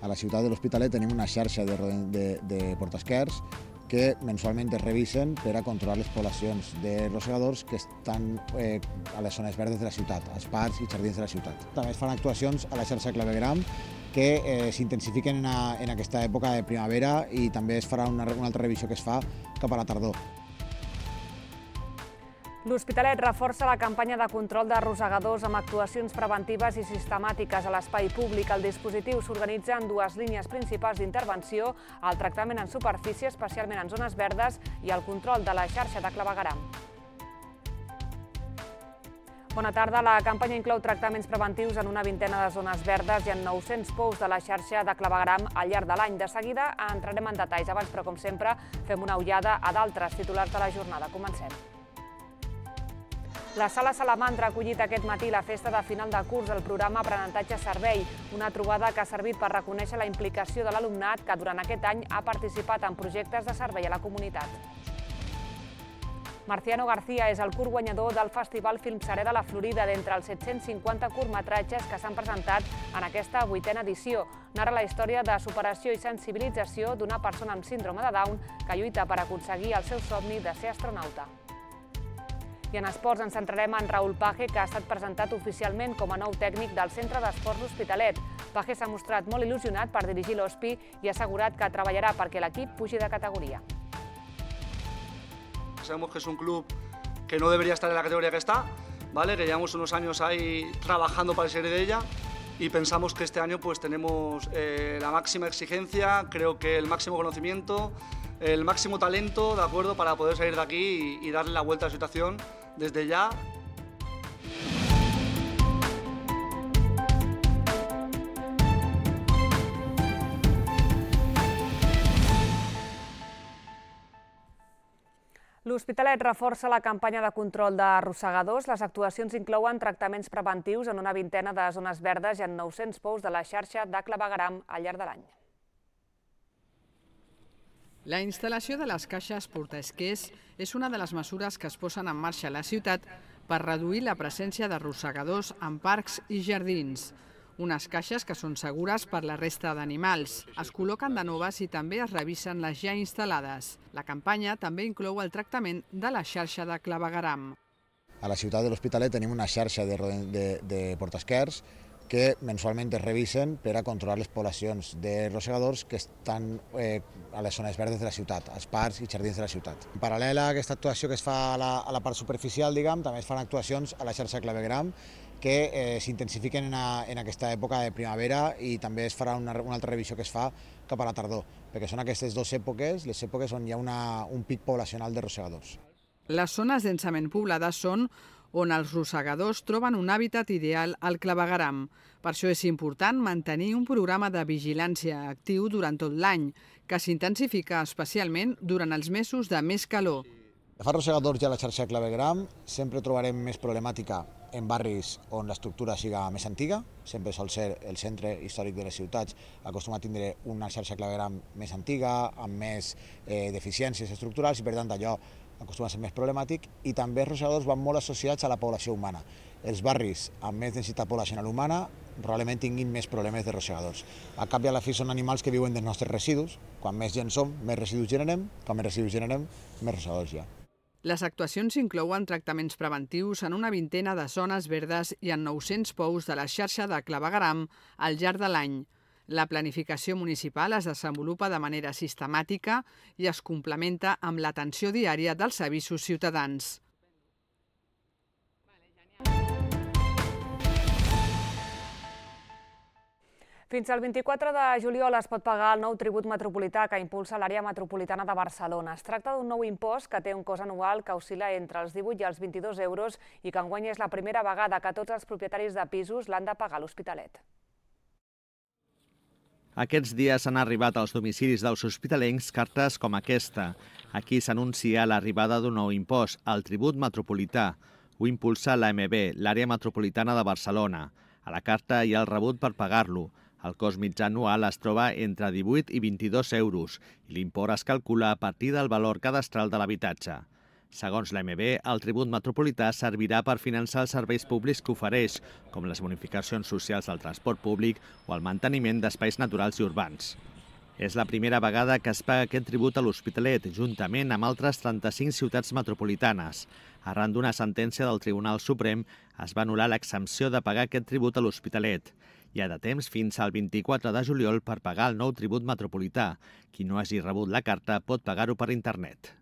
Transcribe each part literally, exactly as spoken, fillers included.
A la ciutat de l'Hospitalet tenim una xarxa de, de, de portaesquers que mensualment es revisen per a controlar les poblacions de rosegadors que estan eh, a les zones verdes de la ciutat, als parcs i jardins de la ciutat. També es fan actuacions a la xarxa Clavegram que eh, s'intensifiquen en, a, en aquesta època de primavera i també es farà una, una altra revisió que es fa cap a la tardor. L'Hospitalet reforça la campanya de control de rosegadors amb actuacions preventives i sistemàtiques a l'espai públic. El dispositiu s'organitza en dues línies principals d'intervenció, el tractament en superfície, especialment en zones verdes, i el control de la xarxa de clavegueram. Bona tarda. La campanya inclou tractaments preventius en una vintena de zones verdes i en nou-cents pous de la xarxa de clavegueram al llarg de l'any. De seguida entrarem en detalls. Abans, però, com sempre, fem una ullada a d'altres titulars de la jornada. Comencem. La Sala Salamandra ha acollit aquest matí la festa de final de curs del programa Aprenentatge Servei, una trobada que ha servit per reconèixer la implicació de l'alumnat que durant aquest any ha participat en projectes de servei a la comunitat. Marciano García és el curt guanyador del Festival Film Serè de la Florida d'entre els set-cents cinquanta curtmetratges que s'han presentat en aquesta vuitena edició. Narra la història de superació i sensibilització d'una persona amb síndrome de Down que lluita per aconseguir el seu somni de ser astronauta. I en esports ens centrarem en Raúl Page, que ha estat presentat oficialment com a nou tècnic del Centre d'Esports L'Hospitalet. Page s'ha mostrat molt il·lusionat per dirigir l'Hospi i ha assegurat que treballarà perquè l'equip pugi de categoria. Sabemos que es un club que no debería estar en la categoría que está, ¿vale? Que llevamos unos años ahí trabajando para salir de ella y pensamos que este año pues tenemos eh, la máxima exigencia, creo que el máximo conocimiento, el máximo talento, ¿de acuerdo?, para poder salir de aquí y, y darle la vuelta a la situación desde ya. L'Hospitalet reforça la campanya de control de rosegadors. Les actuacions inclouen tractaments preventius en una vintena de zones verdes i en nou-cents pous de la xarxa de clavegueram al llarg de l'any. La instal·lació de les caixes portaesquers és una de les mesures que es posen en marxa a la ciutat per reduir la presència de rosegadors en parcs i jardins. Unes caixes que són segures per la resta d'animals. Es col·loquen de noves i també es revisen les ja instal·lades. La campanya també inclou el tractament de la xarxa de clavegueram. A la ciutat de l'Hospitalet tenim una xarxa de, de, de portaesquers que mensualment es revisen per a controlar les poblacions de rosegadors que estan eh, a les zones verdes de la ciutat, als parcs i jardins de la ciutat. En paral·lel a aquesta actuació que es fa a la, a la part superficial, diguem, també es fan actuacions a la xarxa clavegueram que eh, s'intensifiquen en, a, en aquesta època de primavera i també es farà una, una altra revisió que es fa cap a la tardor, perquè són aquestes dues èpoques, les èpoques on hi ha una, un pic poblacional de rosegadors. Les zones densament poblades són on els rosegadors troben un hàbitat ideal al clavegueram. Per això és important mantenir un programa de vigilància actiu durant tot l'any, que s'intensifica especialment durant els mesos de més calor. De fa rosegadors ja a la xarxa clavegueram sempre trobarem més problemàtica en barris on l'estructura siga més antiga, sempre sol ser el centre històric de les ciutats, acostuma a tindre una xarxa clavegueram més antiga, amb més eh, deficiències estructurals i per tant allò acostuma a ser més problemàtic, i també els rosegadors van molt associats a la població humana. Els barris amb més densitat poblacional humana probablement tinguin més problemes de rosegadors. A cap i a la fi són animals que viuen dels nostres residus. Quan més gent som, més residus generem, quan més residus generem, més rosegadors hi ha. Les actuacions inclouen tractaments preventius en una vintena de zones verdes i en nou-cents pous de la xarxa de clavegueram al llarg de l'any. La planificació municipal es desenvolupa de manera sistemàtica i es complementa amb l'atenció diària dels avisos ciutadans. Fins al vint-i-quatre de juliol es pot pagar el nou tribut metropolità que impulsa l'àrea metropolitana de Barcelona. Es tracta d'un nou impost que té un cost anual que oscil·la entre els divuit i els vint-i-dos euros i que enguany és la primera vegada que tots els propietaris de pisos l'han de pagar a l'Hospitalet. Aquests dies han arribat als domicilis dels hospitalencs cartes com aquesta. Aquí s'anuncia l'arribada d'un nou impost, el tribut metropolità. Ho impulsa l'A M B, l'àrea metropolitana de Barcelona. A la carta hi ha el rebut per pagar-lo. El cost mitjà anual es troba entre divuit i vint-i-dos euros i l'import es calcula a partir del valor cadastral de l'habitatge. Segons l'A M B, el tribut metropolità servirà per finançar els serveis públics que ofereix, com les bonificacions socials del transport públic o el manteniment d'espais naturals i urbans. És la primera vegada que es paga aquest tribut a l'Hospitalet, juntament amb altres trenta-cinc ciutats metropolitanes. Arran d'una sentència del Tribunal Suprem, es va anul·lar l'exempció de pagar aquest tribut a l'Hospitalet. Hi ha de temps fins al vint-i-quatre de juliol per pagar el nou tribut metropolità. Qui no hagi rebut la carta pot pagar-ho per internet.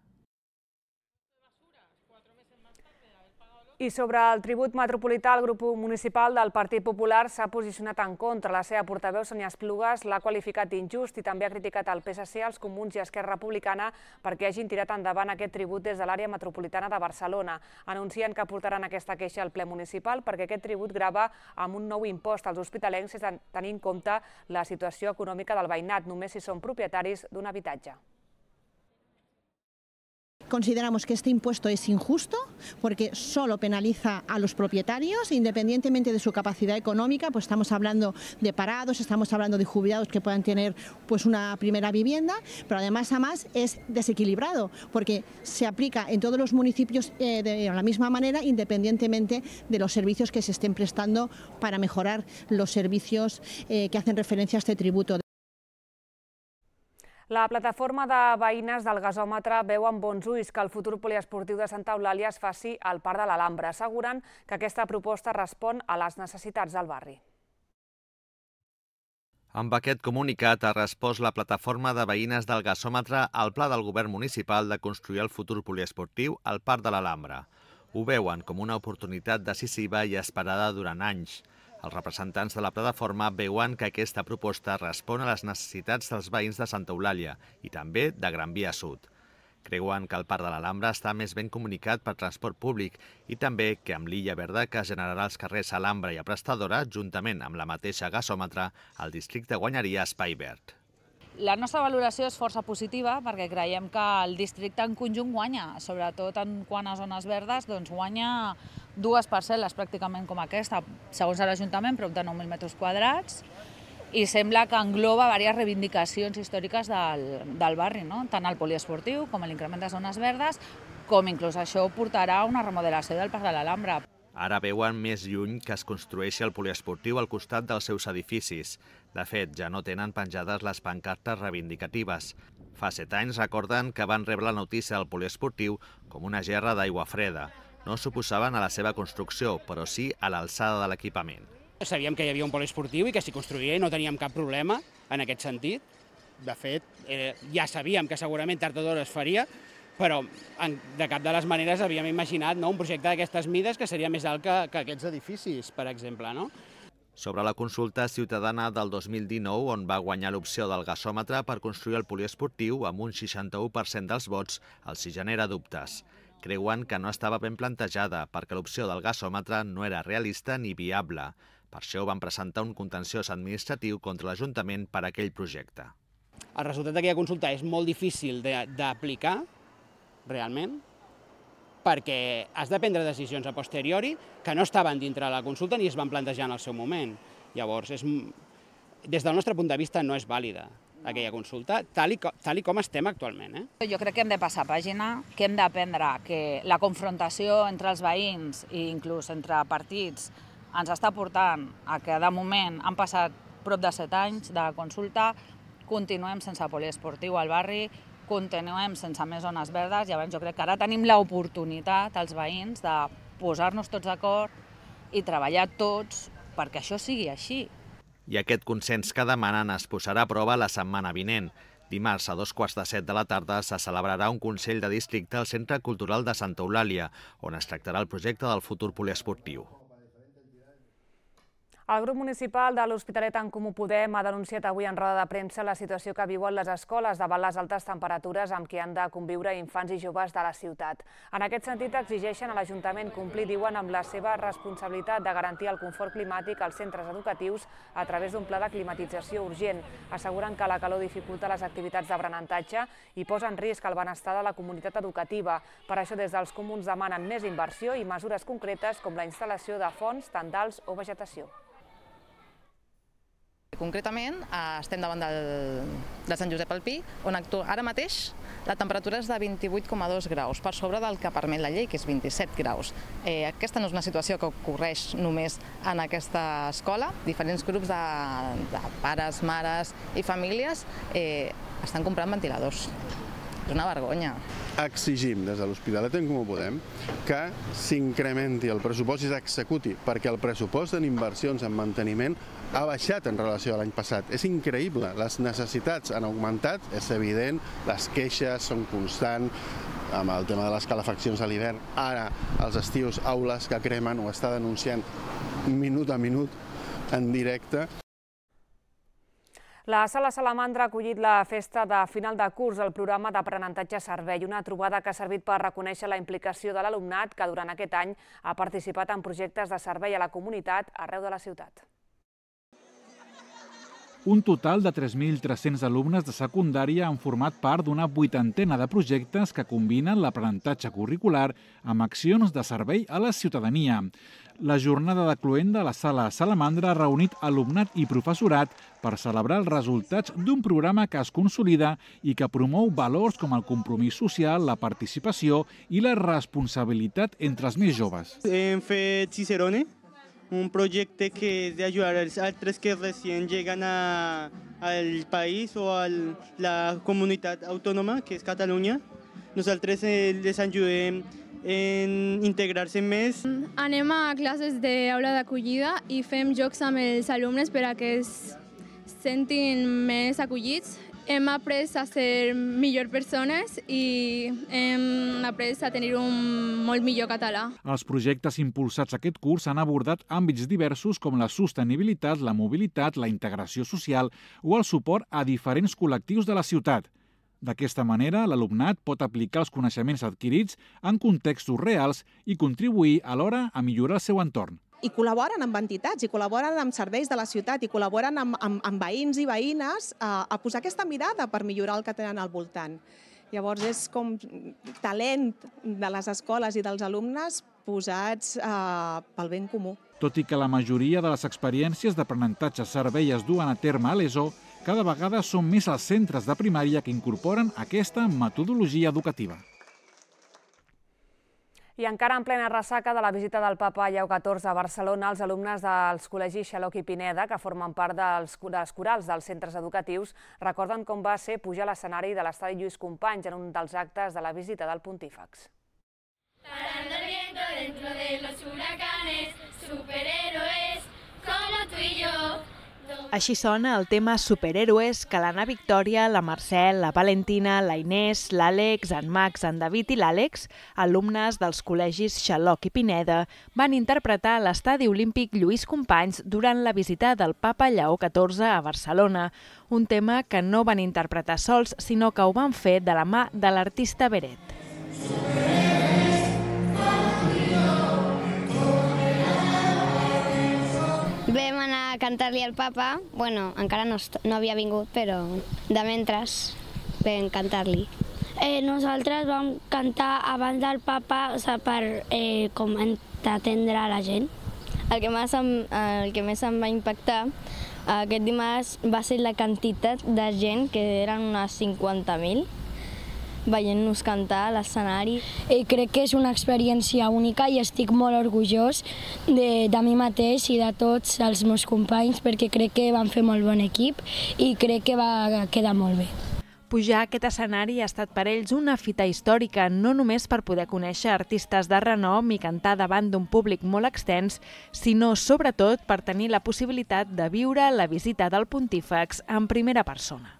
I sobre el tribut metropolità, el grup municipal del Partit Popular s'ha posicionat en contra. La seva portaveu, Sonia Esplugues, l'ha qualificat d'injust i també ha criticat el P S C, els Comuns i Esquerra Republicana perquè hagin tirat endavant aquest tribut des de l'àrea metropolitana de Barcelona. Anuncien que portaran aquesta queixa al ple municipal perquè aquest tribut grava amb un nou impost als hospitalencs sense tenir en compte la situació econòmica del veïnat, només si són propietaris d'un habitatge. Consideramos que este impuesto es injusto porque solo penaliza a los propietarios, independientemente de su capacidad económica, pues estamos hablando de parados, estamos hablando de jubilados que puedan tener pues una primera vivienda, pero además, además es desequilibrado porque se aplica en todos los municipios eh, de la misma manera, independientemente de los servicios que se estén prestando para mejorar los servicios eh, que hacen referencia a este tributo. La plataforma de veïnes del gasòmetre veu amb bons ulls que el futur poliesportiu de Santa Eulàlia es faci al Parc de l'Alhambra. Asseguren que aquesta proposta respon a les necessitats del barri. Amb aquest comunicat ha respost la plataforma de veïnes del gasòmetre al pla del govern municipal de construir el futur poliesportiu al Parc de l'Alhambra. Ho veuen com una oportunitat decisiva i esperada durant anys. Els representants de la plataforma veuen que aquesta proposta respon a les necessitats dels veïns de Santa Eulàlia i també de Gran Via Sud. Creuen que el Parc de l'Alhambra està més ben comunicat per transport públic i també que amb l'illa verda que generarà els carrers Alhambra i Aprestadora, juntament amb la mateixa gasòmetre, el districte guanyaria espai verd. La nostra valoració és força positiva perquè creiem que el districte en conjunt guanya, sobretot en quant a zones verdes, doncs guanya dues parcel·les pràcticament com aquesta, segons l'Ajuntament, prop de nou mil metres quadrats, i sembla que engloba diverses reivindicacions històriques del, del barri, no? Tant el poliesportiu com l'increment de zones verdes, com inclús això portarà a una remodelació del Parc de l'Alhambra. Ara veuen més lluny que es construeixi el poliesportiu al costat dels seus edificis. De fet, ja no tenen penjades les pancartes reivindicatives. Fa set anys recorden que van rebre la notícia del poliesportiu com una gerra d'aigua freda. No s'oposaven a la seva construcció, però sí a l'alçada de l'equipament. Sabíem que hi havia un poliesportiu i que s'hi construïa i no teníem cap problema en aquest sentit. De fet, eh, ja sabíem que segurament tard o d'hora es faria, però en, de cap de les maneres havíem imaginat, no, un projecte d'aquestes mides que seria més alt que, que aquests edificis, per exemple. No? Sobre la consulta ciutadana del dos mil dinou, on va guanyar l'opció del gasòmetre per construir el poliesportiu amb un seixanta-u per cent dels vots, els hi genera dubtes. Creuen que no estava ben plantejada perquè l'opció del gasòmetre no era realista ni viable. Per això van presentar un contenciós administratiu contra l'Ajuntament per a aquell projecte. El resultat d'aquella consulta és molt difícil d'aplicar, realment, perquè has de prendre decisions a posteriori que no estaven dintre de la consulta ni es van plantejar en el seu moment. Llavors, és, des del nostre punt de vista, no és vàlida aquella consulta, tal i, tal i com estem actualment. Eh? Jo crec que hem de passar pàgina, que hem d'aprendre que la confrontació entre els veïns i inclús entre partits ens està portant a que, de moment, han passat prop de set anys de consulta, continuem sense poliesportiu al barri, continuem sense més zones verdes, i llavors jo crec que ara tenim l'oportunitat, els veïns, de posar-nos tots d'acord i treballar tots perquè això sigui així. I aquest consens que demanen es posarà a prova la setmana vinent. Dimarts a dos quarts de set de la tarda se celebrarà un Consell de Districte al Centre Cultural de Santa Eulàlia, on es tractarà el projecte del futur poliesportiu. El grup municipal de l'Hospitalet en Comú Podem ha denunciat avui en roda de premsa la situació que viuen les escoles davant les altes temperatures amb què han de conviure infants i joves de la ciutat. En aquest sentit, exigeixen a l'Ajuntament complir, diuen, amb la seva responsabilitat de garantir el confort climàtic als centres educatius a través d'un pla de climatització urgent. Asseguren que la calor dificulta les activitats d'aprenentatge i posa en risc el benestar de la comunitat educativa. Per això, des dels comuns demanen més inversió i mesures concretes com la instal·lació de fonts, tendals o vegetació. Concretament, estem davant del, de Sant Josep al Pi, on ara mateix la temperatura és de vint-i-vuit coma dos graus, per sobre del que permet la llei, que és vint-i-set graus. Eh, aquesta no és una situació que ocorreix només en aquesta escola. Diferents grups de, de pares, mares i famílies eh, estan comprant ventiladors. És una vergonya. Exigim des de l'Hospitalet en Comú Podem que s'incrementi el pressupost i s'executi, perquè el pressupost en inversions en manteniment ha baixat en relació a l'any passat. És increïble, les necessitats han augmentat, és evident, les queixes són constants, amb el tema de les calefaccions a l'hivern. Ara, els estius, aules que cremen, ho està denunciant minut a minut en directe. La Sala Salamandra ha acollit la festa de final de curs del programa d'aprenentatge servei, una trobada que ha servit per reconèixer la implicació de l'alumnat que durant aquest any ha participat en projectes de servei a la comunitat arreu de la ciutat. Un total de tres mil tres-cents alumnes de secundària han format part d'una vuitantena de projectes que combinen l'aprenentatge curricular amb accions de servei a la ciutadania. La jornada de cloenda a la Sala Salamandra ha reunit alumnat i professorat per celebrar els resultats d'un programa que es consolida i que promou valors com el compromís social, la participació i la responsabilitat entre els més joves. Hem fet Cicerone, un projecte que és d'ajudar els altres que recient lleguen a, al país o a la comunitat autònoma, que és Catalunya. Nosaltres eh, les ajudem en integrar-se més. Anem a classes d'aula d'acollida i fem jocs amb els alumnes per a que es sentin més acollits. Hem après a ser millors persones i hem après a tenir un molt millor català. Els projectes impulsats aquest curs han abordat àmbits diversos com la sostenibilitat, la mobilitat, la integració social o el suport a diferents col·lectius de la ciutat. D'aquesta manera, l'alumnat pot aplicar els coneixements adquirits en contextos reals i contribuir alhora a millorar el seu entorn. I col·laboren amb entitats, i col·laboren amb serveis de la ciutat, i col·laboren amb, amb, amb veïns i veïnes a, a posar aquesta mirada per millorar el que tenen al voltant. Llavors és com talent de les escoles i dels alumnes posats eh, pel ben comú. Tot i que la majoria de les experiències d'aprenentatge servei es duen a terme a l'ESO, cada vegada són més els centres de primària que incorporen aquesta metodologia educativa. I encara en plena ressaca de la visita del papa Lleó catorze a Barcelona, els alumnes dels col·legis Xaloc i Pineda, que formen part dels, dels corals dels centres educatius, recorden com va ser pujar a l'escenari de l'estadi Lluís Companys en un dels actes de la visita del Pontífex. Parando el viento dentro de los huracanes, superhéroes como tú y yo. Així sona el tema Superhéroes que l'Anna Victòria, la Mercè, la Valentina, la Inés, l'Àlex, en Max, en David i l'Àlex, alumnes dels col·legis Xaloc i Pineda, van interpretar a l'estadi olímpic Lluís Companys durant la visita del papa Lleó catorze a Barcelona, un tema que no van interpretar sols, sinó que ho van fer de la mà de l'artista Beret. Vam anar a cantar-li al papa, bueno, encara no, no havia vingut, però de mentres vam cantar-li. Eh, nosaltres vam cantar abans del papa, o sigui, per eh, com atendre la gent. El que, més em, el que més em va impactar aquest dimarts va ser la quantitat de gent, que eren unes cinquanta mil, veient-nos cantar a l'escenari. Eh, crec que és una experiència única i estic molt orgullós de, de mi mateix i de tots els meus companys, perquè crec que van fer molt bon equip i crec que va quedar molt bé. Pujar a aquest escenari ha estat per ells una fita històrica, no només per poder conèixer artistes de renom i cantar davant d'un públic molt extens, sinó sobretot per tenir la possibilitat de viure la visita del Pontífex en primera persona.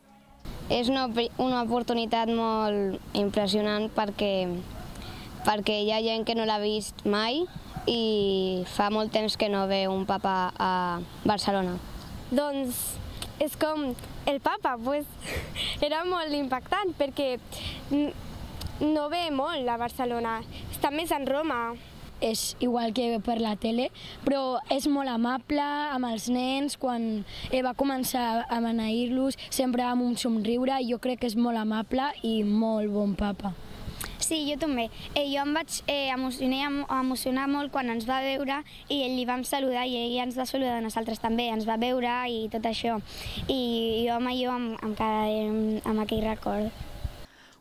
És una, una oportunitat molt impressionant perquè, perquè hi ha gent que no l'ha vist mai i fa molt temps que no ve un papa a Barcelona. Doncs és com el papa, pues, era molt impactant perquè no ve molt a Barcelona, està més en Roma. És igual que per la tele, però és molt amable amb els nens. Quan va començar a beneir-los, sempre amb un somriure, i jo crec que és molt amable i molt bon papa. Sí, jo també. Eh, jo em vaig eh, emocionar, emocionar molt quan ens va veure i li vam saludar i ell ens va saludar a nosaltres també, ens va veure i tot això. I jo amb allò em, em quedaré amb, amb aquell record.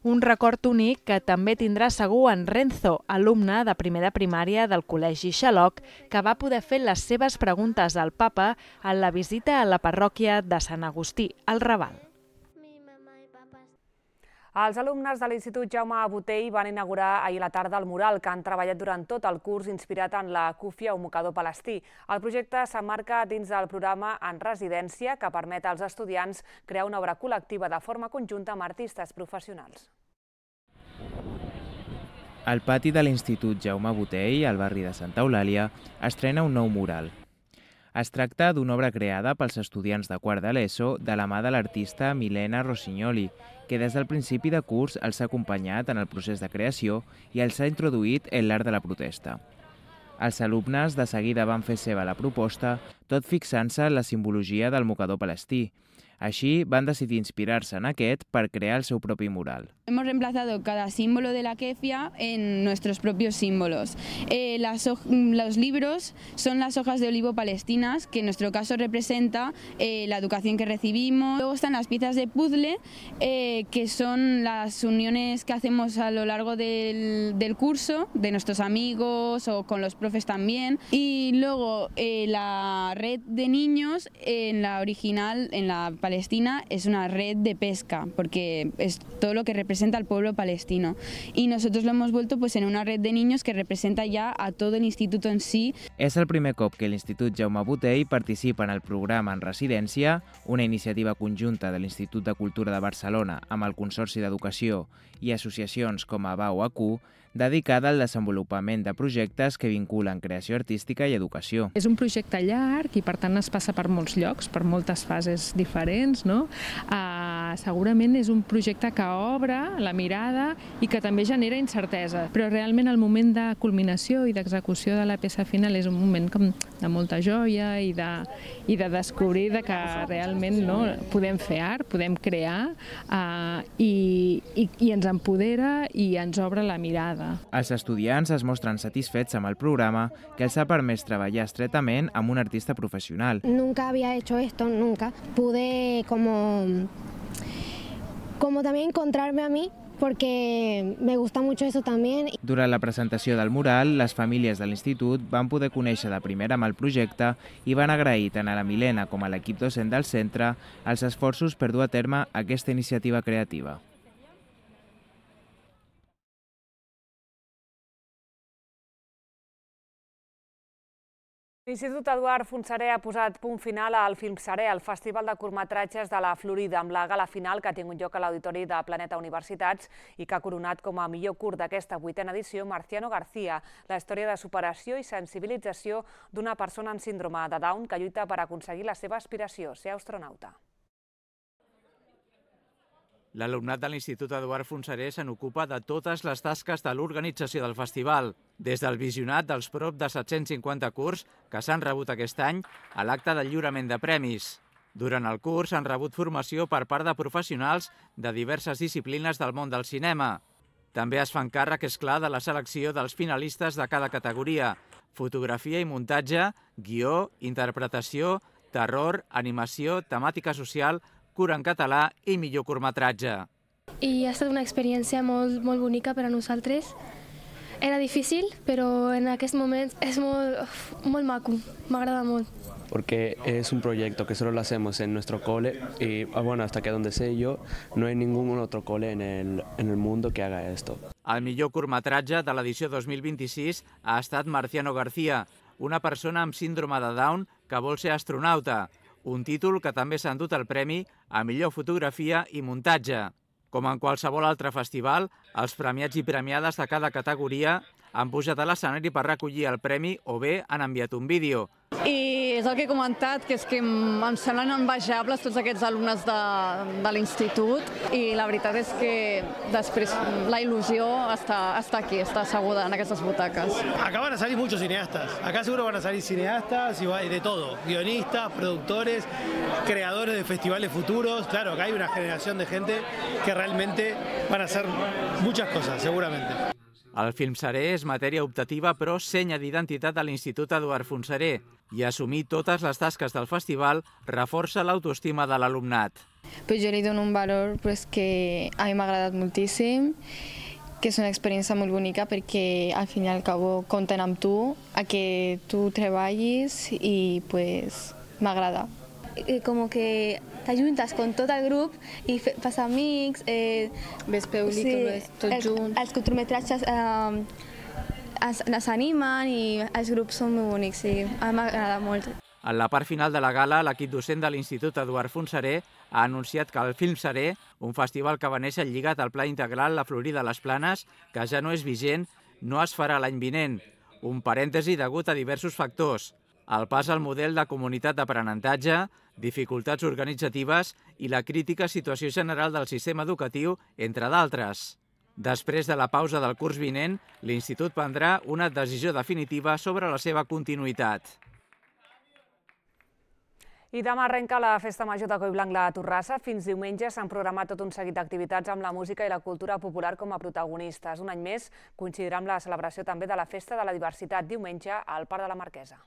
Un record únic que també tindrà segur en Renzo, alumne de primer de primària del Col·legi Xaloc, que va poder fer les seves preguntes al papa en la visita a la parròquia de Sant Agustí, al Raval. Els alumnes de l'Institut Jaume Botey van inaugurar ahir a la tarda el mural que han treballat durant tot el curs inspirat en la Kufia, un mocador palestí. El projecte s'emmarca dins del programa En Residència, que permet als estudiants crear una obra col·lectiva de forma conjunta amb artistes professionals. Al pati de l'Institut Jaume Botey, al barri de Santa Eulàlia, estrena un nou mural. Es tracta d'una obra creada pels estudiants de quart de l'ESO de la mà de l'artista Milena Rossignoli, que des del principi de curs els ha acompanyat en el procés de creació i els ha introduït en l'art de la protesta. Els alumnes de seguida van fer seva la proposta, tot fixant-se en la simbologia del mocador palestí. Així, van decidir inspirar-se en aquest per crear el seu propi mural. Hemos reemplazado cada símbolo de la kefia en nuestros propios símbolos. Eh, las, los libros son las hojas de olivo palestinas, que en nuestro caso representa eh, la educación que recibimos. Luego están las piezas de puzzle, eh, que son las uniones que hacemos a lo largo del, del curso, de nuestros amigos o con los profes también. Y luego eh, la red de niños, en la original, en la Palestina, es una red de pesca, porque es todo lo que representa al pueblo palestino. Y nosotros lo hemos vuelto pues en una red de niños que representa ya a todo el instituto en sí. És el primer cop que l'Institut Jaume Botey participa en el programa En Residència, una iniciativa conjunta de l'Institut de Cultura de Barcelona amb el Consorci d'Educació i associacions com a B A U A Q, dedicada al desenvolupament de projectes que vinculen creació artística i educació. És un projecte llarg i per tant es passa per molts llocs, per moltes fases diferents, no? Uh, segurament és un projecte que obre la mirada i que també genera incertesa, però realment el moment de culminació i d'execució de la peça final és un moment com de molta joia i de, i de descobrir de que realment no, podem fer art, podem crear uh, i, i, i ens empodera i ens obre la mirada. Els estudiants es mostren satisfets amb el programa que els ha permès treballar estretament amb un artista professional. Nunca había hecho esto, nunca. Pude como, como también encontrarme a mí, porque me gusta mucho eso también. Durant la presentació del mural, les famílies de l'institut van poder conèixer de primera mà el projecte i van agrair tant a la Milena com a l'equip docent del centre els esforços per dur a terme aquesta iniciativa creativa. L'Institut Eduard Fontserè ha posat punt final al Filmserè, el festival de curtmetratges de la Florida, amb la gala final que ha tingut lloc a l'Auditori de Planeta Universitats i que ha coronat com a millor curt d'aquesta vuitena edició Marciano García, la història de superació i sensibilització d'una persona amb síndrome de Down que lluita per aconseguir la seva aspiració, ser astronauta. L'alumnat de l'Institut Eduard Fontserè se n'ocupa de totes les tasques de l'organització del festival, des del visionat dels prop de set-cents cinquanta curts que s'han rebut aquest any a l'acte del lliurament de premis. Durant el curs han rebut formació per part de professionals de diverses disciplines del món del cinema. També es fan càrrec, és clar, de la selecció dels finalistes de cada categoria: fotografia i muntatge, guió, interpretació, terror, animació, temàtica social, curt en català i millor curtmetratge. I ha estat una experiència molt, molt bonica per a nosaltres. Era difícil, però en aquest moment és molt, molt maco, m'agrada molt. Porque es un proyecto que solo lo hacemos en nuestro cole y, bueno, hasta que donde sé yo, no hay ningún otro cole en el, en el mundo que haga esto. El millor curtmetratge de l'edició dos mil vint-i-sis ha estat Marciano García, una persona amb síndrome de Down que vol ser astronauta, un títol que també s'ha endut el premi a millor fotografia i muntatge. Com en qualsevol altre festival, els premiats i premiades de cada categoria han pujat a l'escenari per recollir el premi o bé han enviat un vídeo. I és el que he comentat, que és que em semblen envejables tots aquests alumnes de, de l'institut i la veritat és que després la il·lusió està, està aquí, está asseguda en aquestes butaques. Acá van a salir muchos cineastas, acá seguro van a salir cineastas y de todo, guionistas, productores, creadores de festivales futuros. Claro, acá hay una generación de gente que realmente van a hacer muchas cosas, seguramente. El film serè és matèria optativa però senya d'identitat de l'Institut Eduard Fontserè i assumir totes les tasques del festival reforça l'autoestima de l'alumnat. Pues jo li dono un valor pues, que a mi m'ha agradat moltíssim, que és una experiència molt bonica perquè al fin i al cabo compten amb tu, a que tu treballis i pues, m'agrada. Como que t'ajuntes con tot el grup i fas amics. Eh, Ves pel·lícules, sí, tots junts. Els curtmetratges eh, es, es animen i els grups són molt bonics, sí, a mi m'agrada molt. En la part final de la gala, l'equip docent de l'Institut Eduard Fontserè ha anunciat que el Film Serè, un festival que va néixer lligat al Pla Integral La Florida a les Planes, que ja no és vigent, no es farà l'any vinent. Un parèntesi degut a diversos factors. El pas al model de comunitat d'aprenentatge, dificultats organitzatives i la crítica situació general del sistema educatiu, entre d'altres. Després de la pausa del curs vinent, l'Institut prendrà una decisió definitiva sobre la seva continuïtat. I demà arrenca la Festa Major de Collblanc la Torrassa. Fins diumenge s'han programat tot un seguit d'activitats amb la música i la cultura popular com a protagonistes. Un any més coincidirà amb la celebració també de la Festa de la Diversitat diumenge al Parc de la Marquesa.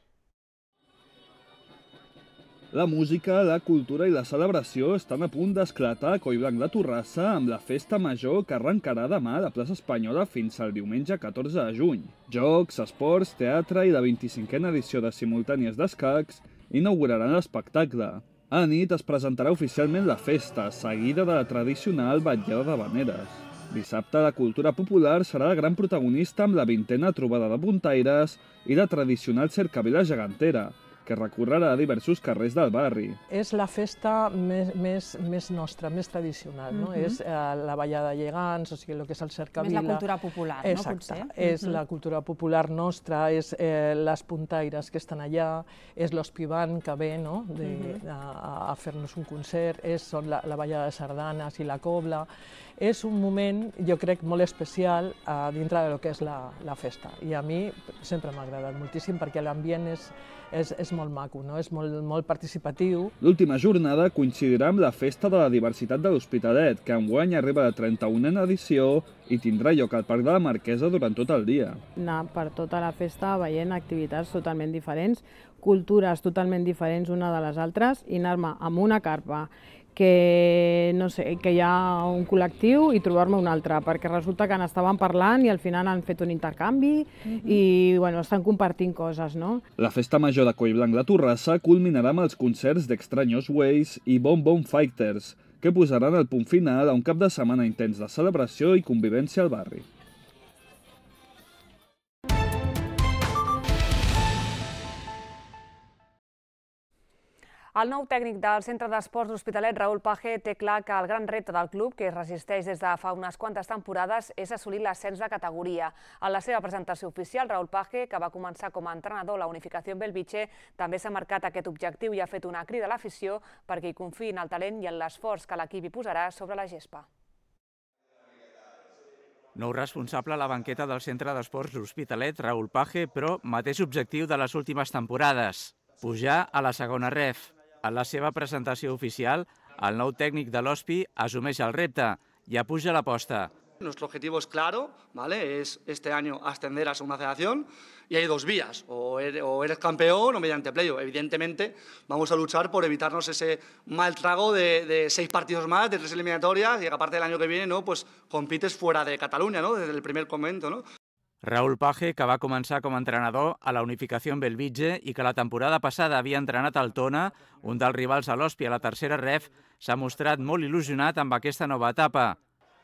La música, la cultura i la celebració estan a punt d'esclatar a Collblanc de Torrassa amb la Festa Major que arrencarà demà a la plaça Espanyola fins al diumenge catorze de juny. Jocs, esports, teatre i la vint-i-cinquena edició de Simultànies d'Escacs inauguraran l'espectacle. A la nit es presentarà oficialment la festa, seguida de la tradicional vetllada d'havaneres. Dissabte la cultura popular serà la gran protagonista amb la vintena trobada de puntaires i la tradicional cercavila gegantera, que recorrerà diversos carrers del barri. És la festa més, més, més nostra, més tradicional, no? Mhm. És eh, la ballada de gegants, o sigui, el que és el cercavila. Més la cultura popular, no, Exacte. potser? És Mhm. la cultura popular nostra, és eh, les puntaires que estan allà, és l'Ospivan que ve, no?, de, Mhm. a, a fer-nos un concert, és són la, la ballada de sardanes i la cobla. És un moment, jo crec, molt especial eh, dintre del que és la, la festa. I a mi sempre m'ha agradat moltíssim perquè l'ambient és, és, és molt maco, no? És molt, molt participatiu. L'última jornada coincidirà amb la Festa de la Diversitat de l'Hospitalet, que enguany arriba a la trenta-unena edició i tindrà lloc al Parc de la Marquesa durant tot el dia. Anar per tota la festa veient activitats totalment diferents, cultures totalment diferents una de les altres i anar-me amb una carpa que, no sé, que hi ha un col·lectiu i trobar-me un altre, perquè resulta que n'estaven parlant i al final han fet un intercanvi i bueno, estan compartint coses, no? La Festa Major de Collblanc de Torrassa culminarà amb els concerts d'Extraños Ways i Bon Bon Fighters, que posaran el punt final a un cap de setmana intens de celebració i convivència al barri. El nou tècnic del Centre d'Esports d'Hospitalet, Raül Page, té clar que el gran repte del club, que es resisteix des de fa unes quantes temporades, és assolir l'ascens de categoria. En la seva presentació oficial, Raül Page, que va començar com a entrenador a la Unificació Belvitge, també s'ha marcat aquest objectiu i ha fet una crida a l'afició perquè hi confiï en el talent i en l'esforç que l'equip hi posarà sobre la gespa. Nou responsable a la banqueta del Centre d'Esports d'Hospitalet, Raül Page, però mateix objectiu de les últimes temporades, pujar a la segona ref. En la seva presentació oficial, el nou tècnic de l'Hospi assumeix el repte i apuja l'aposta. Nuestro objetivo es claro, ¿vale? Es este año ascender a segunda federación y hay dos vías, o eres, o eres campeón o mediante playoff. Evidentemente vamos a luchar por evitarnos ese mal trago de, de seis partidos más, de tres eliminatorias y que aparte del año que viene, ¿no? Pues compites fuera de Cataluña, ¿no? Desde el primer momento, ¿no? Raül Page, que va començar com a entrenador a la Unificació en Belvitge i que la temporada passada havia entrenat al Tona, un dels rivals a l'Hospi a la tercera ref, s'ha mostrat molt il·lusionat amb aquesta nova etapa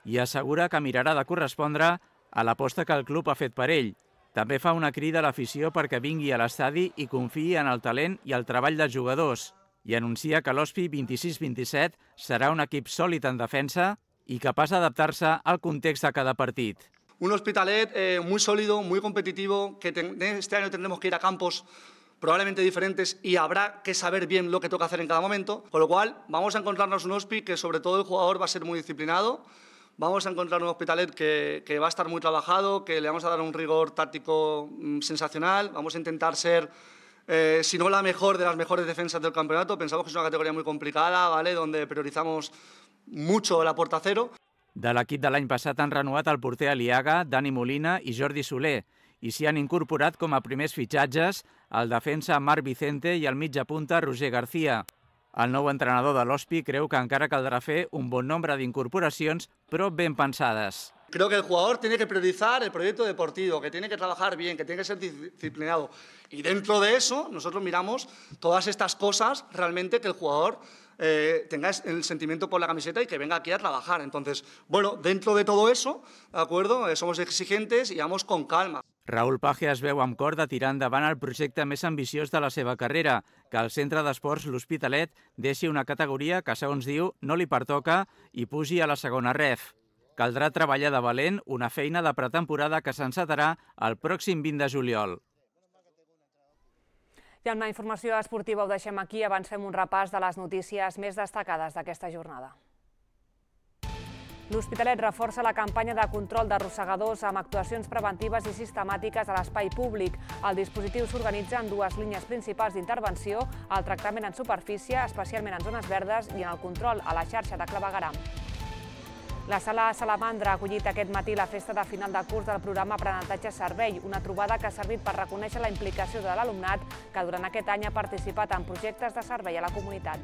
i assegura que mirarà de correspondre a l'aposta que el club ha fet per ell. També fa una crida a l'afició perquè vingui a l'estadi i confiï en el talent i el treball dels jugadors i anuncia que l'Hospi vint-i-sis vint-i-set serà un equip sòlid en defensa i capaç d'adaptar-se al context de cada partit. Un Hospitalet eh, muy sólido, muy competitivo, que ten, este año tendremos que ir a campos probablemente diferentes y habrá que saber bien lo que toca hacer en cada momento, con lo cual vamos a encontrarnos un Hospi que sobre todo el jugador va a ser muy disciplinado, vamos a encontrar un Hospitalet que, que va a estar muy trabajado, que le vamos a dar un rigor táctico mmm, sensacional, vamos a intentar ser, eh, si no la mejor de las mejores defensas del campeonato, pensamos que es una categoría muy complicada, ¿vale?, donde priorizamos mucho la puerta cero. De l'equip de l'any passat han renovat el porter Aliaga, Dani Molina i Jordi Soler, i s'hi han incorporat com a primers fitxatges el defensa Marc Vicente i el mitja punta Roger García. El nou entrenador de l'Hospi creu que encara caldrà fer un bon nombre d'incorporacions, però ben pensades. Creo que el jugador tiene que priorizar el proyecto deportivo, que tiene que trabajar bien, que tiene que ser disciplinado. Y dentro de eso, nosotros miramos todas estas cosas realmente que el jugador eh, tenga el sentimiento por la camiseta y que venga aquí a trabajar. Entonces, bueno, dentro de todo eso, ¿de acuerdo? Eh, somos exigentes y vamos con calma. Raül Paje es veu amb cor de tirar endavant el projecte més ambiciós de la seva carrera, que el Centre d'Esports L'Hospitalet deixi una categoria que, segons diu, no li pertoca i pugi a la segona ref. Caldrà treballar de valent una feina de pretemporada que s'encetarà el pròxim vint de juliol. I amb la informació esportiva ho deixem aquí, abans fem un repàs de les notícies més destacades d'aquesta jornada. L'Hospitalet reforça la campanya de control d'arrossegadors amb actuacions preventives i sistemàtiques a l'espai públic. El dispositiu s'organitza en dues línies principals d'intervenció, el tractament en superfície, especialment en zones verdes, i en el control a la xarxa de clavegueram. La Sala Salamandra ha acollit aquest matí la festa de final de curs del programa Aprenentatge Servei, una trobada que ha servit per reconèixer la implicació de l'alumnat que durant aquest any ha participat en projectes de servei a la comunitat.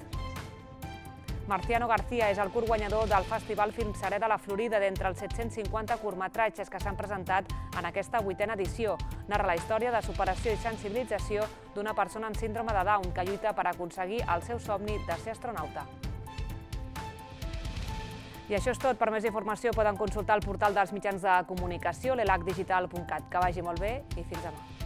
Marciano García és el curt guanyador del Festival Film Serè de la Florida d'entre els set-cents cinquanta curtmetratges que s'han presentat en aquesta vuitena edició. Narra la història de superació i sensibilització d'una persona amb síndrome de Down que lluita per aconseguir el seu somni de ser astronauta. I això és tot. Per més informació poden consultar el portal dels mitjans de comunicació, l'elac digital punt cat. Que vagi molt bé i fins demà.